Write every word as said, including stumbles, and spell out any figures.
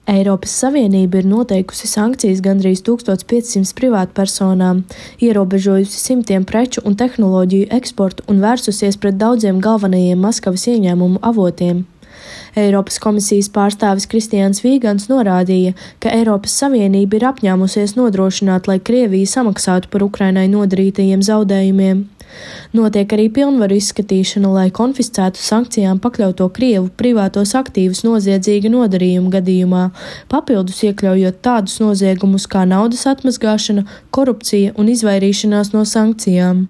Eiropas Savienība ir noteikusi sankcijas gandrīz tūkstoš piecsimt privātpersonām, ierobežojusi simtiem preču un tehnoloģiju eksportu un vērsusies pret daudziem galvenajiem Maskavas ieņēmumu avotiem. Eiropas komisijas pārstāvis Kristiāns Vīgants norādīja, ka Eiropas Savienība ir apņēmusies nodrošināt, lai Krievija samaksātu par Ukrainai nodarītajiem zaudējumiem. Notiek arī pilnvaru izskatīšana, lai konfiscētu sankcijām pakļauto Krievu privātos aktīvus noziedzīga nodarījuma gadījumā, papildus iekļaujot tādus noziegumus kā naudas atmazgāšana, korupcija un izvairīšanās no sankcijām.